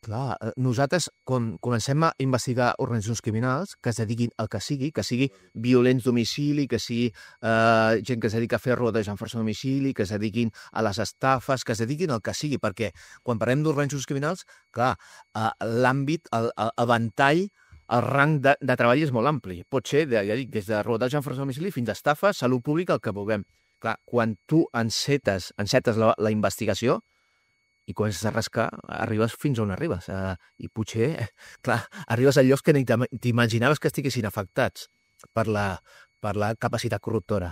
Clar, nosaltres, quan comencem a investigar organitzacions criminals que es dediquin al que sigui violents domicili, que sigui gent que es dedica a fer rodes en força domicili, que es dediquin a les estafes, que es dediquin al que sigui, perquè quan parlem d'organitzacions criminals, clar, l'àmbit, el ventall, el rang de treball és molt ampli. Pot ser, ja dic, des de rodatge en força domicili fins a estafes, salut pública, el que vulguem. Clar, quan tu encetes la investigació, i comences a rascar, arribes fins on arribes. I potser, clar, arribes a llocs que ni t'imaginaves que estiguessin afectats per la capacitat corruptora.